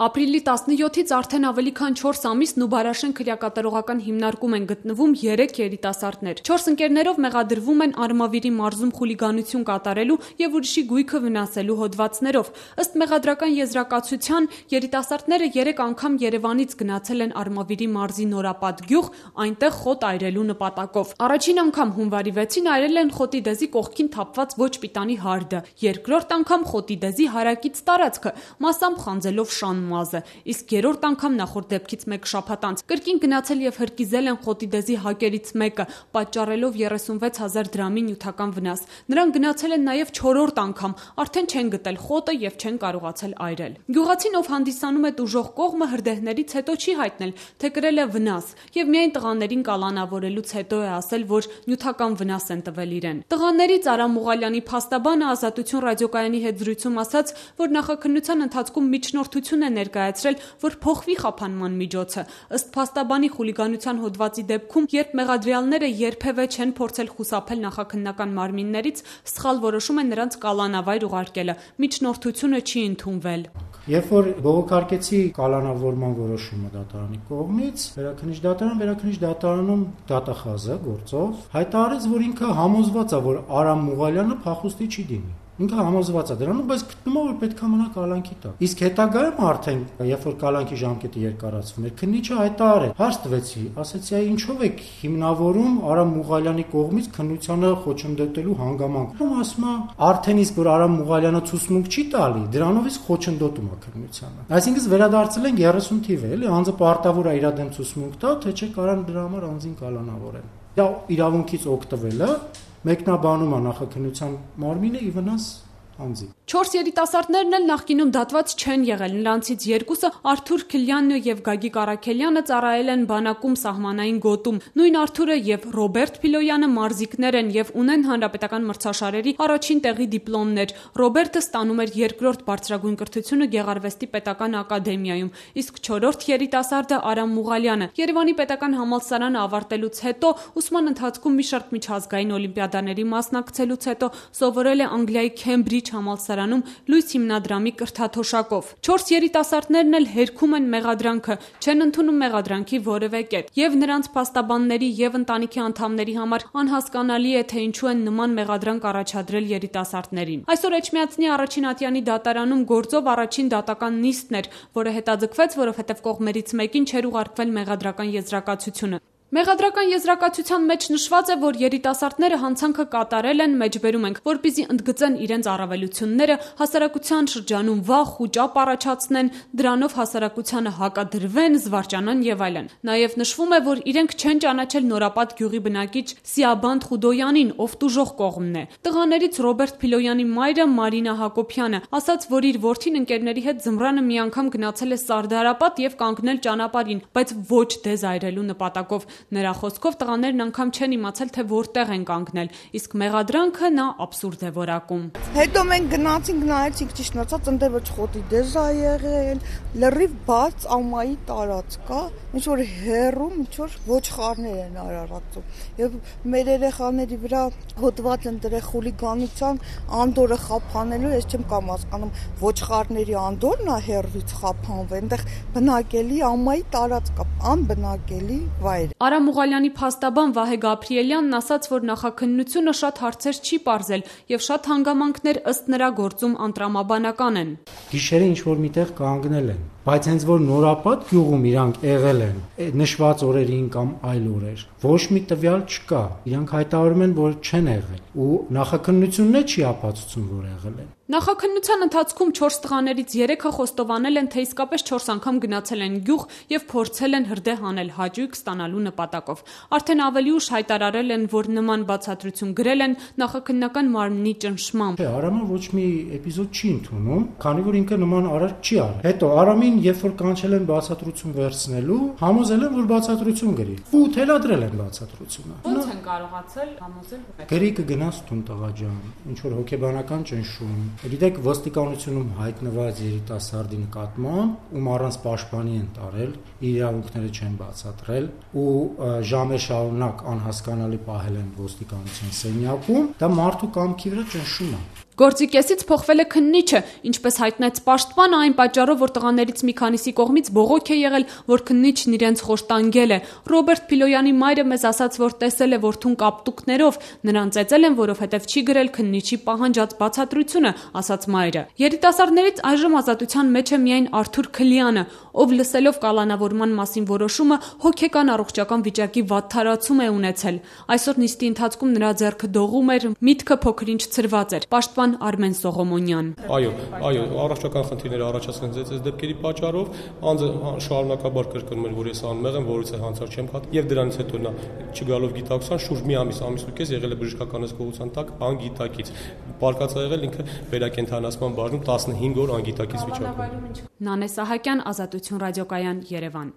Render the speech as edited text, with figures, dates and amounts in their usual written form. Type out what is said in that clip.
Ապրիլի 17-ից արդեն ավելի քան 4 ամիս Նուբարաշեն քրեակատարողական հիմնարկում են գտնվում 3 երիտասարդներ։ 4 ընկերներով մեղադրվում են Արմավիրի մարզում խուլիգանություն կատարելու եւ ուրիշի գույքը վնասելու հոդվածներով։ Ըստ մեղադրական եզրակացության, երիտասարդները 3 անգամ Երևանից գնացել են Արմավիրի մարզի Նորապատ գյուղ, այնտեղ խոտ այրելու նպատակով։ Առաջին անգամ հունվարի 6-ին այրել են խոտի դեզի կողքին թափված ոչ պիտանի հարդը, երկրորդ անգամ խոտի դեզի հարակից տարածքը, մասամբ խանձելով շան մազը, իսկ երրորդ անգամ նախորդ դեպքից մեկ շաբաթ անց կրկին գնացել եւ հրկիզել են խոտի դեզի հակերից մեկը, պատճառելով 36,000 դրամի նյութական վնաս։ Նրանք գնացել են նաեւ 4-րդ անգամ, արդեն չեն գտել խոտը եւ չեն կարողացել այրել։ Գյուղացին, ով հանդիսանում է տուժող կողմը, հրդեհներից հետո չի հայտնել, թե կրել է վնաս եւ միայն տղաներին կալանավորելուց հետո է ասել, որ նյութական վնաս են տվել իրեն։ Տղաներից Արամ Մուղալյանի փաստաբանը Ազատություն ռադիոկայանի հետ զրույցում ասաց, որ նախաքննության ընթացքում միջնորդություն է ներկայացրել, որ փոխվի խափանման միջոցը։ Ըստ փաստաբանի, խուլիգանության հոդվածի դեպքում, երբ մեղադրյալները երբևէ չեն փորձել խուսափել նախաքննական մարմիններից, սխալ որոշում է նրանց կալանավայր ուղարկելը։ Միջնորդությունը չի ընդունվել։ Երբ որ բողոքարկեցի կալանավորման որոշումը դատարանի կողմից, վերաքննիչ դատարանում դատախազը գործով հայտարարեց, որ ինքը համոզված է, որ Արամ Մուղալյանը փախուստի չի դիմի։ Ինքը համոզված է դրանում, բայց գտնում է, որ պետք է մնա կալանքի տակ։ Իսկ հետագայում արդեն, երբ որ կալանքի ժամկետը երկարացվում էր, քննիչը հայտարարել, հարց տվեցի, ասեցի, այ ինչով եք հիմնավորում Արամ Մուղալյանի կողմից քննությանը խոչընդոտելու հանգամանք։ Ասում է, արդեն իսկ որ Արամ Մուղալյանը ցուցմունք չի տալի, դրանով իսկ խոչընդոտում է քննությանը։ Այսինքն վերադարձել են 30 թիվ է, էլի, անձը պարտավոր է իր դեմ ցուցմունք տա, թե չէ կարան դրա համար անձին կալանավորեն։ Դա իրավունքից օգտվելը մեկնաբանում է նախաքննության մարմինը ի վնաս անձի։ 4 երիտասարդներն էլ նախկինում դատված չեն եղել։ Նրանցից երկուսը Արթուր Քլյանն եւ Գագիկ Արաքելյանը ծառայել են բանակում սահմանային գոտում։ Նույն Արթուրը եւ Ռոբերտ Փիլոյանը մարզիկներ են եւ ունեն հանրապետական մրցաշարերի առաջին տեղի դիպլոմներ։ Ռոբերտը ստանում էր 2-րդ բարձրագույն կրթությունը Գեղարվեստի պետական ակադեմիայում, իսկ 4-րդ երիտասարդը Արամ Մուղալյանը Երևանի պետական համալսարանը ավարտելուց հետո ուսման ընթացքում մի շարք միջազգային օլիմպիադաների մասնակցելուց հետո սովորել է Անգլիայի Քեմբրիջ համալսարանում լույս հիմնադրամի կրթաթոշակով։ 4 երիտասարդներն էլ հերքում են մեղադրանքը, չեն ընդունում մեղադրանքի որևէ կետ։ Եվ նրանց փաստաբանների եւ ընտանիքի անդամների համար անհասկանալի է, թե ինչու են նման մեղադրանք առաջադրել երիտասարդներին։ Այսօր Էջմիածնի առաջին ատյանի դատարանում գործով առաջին դատական նիստն էր, որը հետաձգվեց, որովհետեւ կողմերից մեկին չէր ուղարկվել մեղադրական եզրակացությունը։ Մեղադրական եզրակացության մեջ նշված է, որ երիտասարդները հանցանքը կատարել են, մեջբերում ենք, որպեսզի ընդգծեն իրենց առավելությունները, հասարակության շրջանում վախ ու ճապ առաջացնեն, դրանով հասարակությանը հակադրվեն, զվարճանան եւ այլն։ Նաեւ նշվում է, որ իրենք չեն ճանաչել Նորապատ գյուղի բնակիչ Սիաբանդ Խուդոյանին, ով տուժող կողմն է։ Տղաներից Ռոբերտ Փիլոյանի մայրը Մարինա Հակոբյանը ասաց, որ իր որդին ընկերների հետ ձմռանը մի անգամ գնացել է Սարդարապատ եւ կանգնել ճանապարհին, բայց ոչ դեզ այրելու նպատակով։ Նրա խոսքով տղաներն անգամ չեն իմացել, թե որտեղ են կանգնել, իսկ մեղադրանքը նա աբսուրդ է որակում։ Հետո մենք գնացինք, նայեցինք, ճիշտ նացած, ընդ ոչ խոտի դեզ ա եղել, լրիվ բաց ամայի տարածք կա, ինչ որ հերում, ինչ որ ոչխարներ են արարածում։ Եվ մեր երեխաների վրա հոդված են դրել խուլիգանության անդորը խափանելու, ես չեմ կամ հասկանում, ոչխարների անդորն է հերվից խափանվել, այնտեղ բնակելի ամայի տարածք կա, անբնակելի վայր։ Արամ Մուղալյանի փաստաբան Վահե Գաբրիելյանն ասաց, որ նախաքննությունը շատ հարցեր չի պարզել եւ շատ հանգամանքներ ըստ նրա գործում անտրամաբանական են։ Գիշերը ինչ որ միտեղ կանգնել են, բայց հենց որ Նորապատ գյուղում իրանք եղել են նշված օրերին կամ այլ օրեր, ոչ մի տվյալ չկա։ Իրանք հայտարարում են, որ չեն եղել ու նախաքննությունն չի ապացուցում, որ եղել են։ Նախաքննության ընթացքում 4 տղաներից 3-ը խոստովանել են, թե իսկապես 4 անգամ գնացել են գյուղ եւ փորձել են հրդեհ անել հաճույք ստանալու նպատակով։ Արդեն ավելի ուշ հայտարարել են, որ նման բացատրություն գրել են նախաքննական մարմնի ճնշմամբ։ Արամը ոչ մի էպիզոդ չի ընդունում, քանի որ ինքը նման արարք չի արել։ Հետո Արամին, երբ որ կանչել են բացատրություն վերցնելու, համոզել են, որ բացատրություն գրի։ Ու թելադրել են բացատրությունը։ Ո՞նց են կարողացել համոզել։ Գրի կգնաց տուն տղա ջան, ինչ որ հոգեբանական ճնշում։ Գիտեք, ոստիկանությունում հայտնված երիտասարդի նկատմամբ, ում առանց պաշտպանի են տարել, իրավունքները չեն բացատրել ու ժամեր շարունակ անհասկանալի պահել են ոստիկանության սենյակում, դա մարդու կամքի վրա ճնշում է։ Գործի կեսից փոխվել է քննիչը, ինչպես հայտնեց պաշտպանը, այն պատճառով, որ տղաներից մի քանիսի կողմից բողոք է եղել, որ քննիչն իրենց խոշտանգել է։ Ռոբերտ Փիլոյանի մայրը մեզ ասաց, որ տեսել է որդուն կապտուկներով, նրան ծեծել են, որովհետև չի գրել քննիչի պահանջած բացատրությունը, ասաց մայրը։ Երիտասարդներից այժմ ազատության մեջ է միայն Արթուր Քլյանը, ով լսելով կալանավորման մասին որոշումը հոգեկան առողջական վիճակի վատթարացում է ունեցել։ Այսօր նիստի ընթացքում նրա ձեռքը դողում էր, միտքը փոքրինչ ցրված էր։ Պաշտպան Արմեն Սողոմոնյան։ Այո, առողջական խնդիրներ առաջացան այս դեպքերի պատճառով, անձը շարունակաբար կրկնում էր, որ ես անմեղ եմ, որից է հանցար չեմ հատ, եւ դրանից հետո նա չգալով գիտակցության շուրջ մի ամիս ու կես եղել է բժշկական հսկողության տակ անգիտակից։ Պարկած է եղել ինքը վերակենդանացման բաժնում 15 օր անգիտակից վիճակում։ Նանե Սահակյան, Ազատություն ռադիոկայան, Երևան։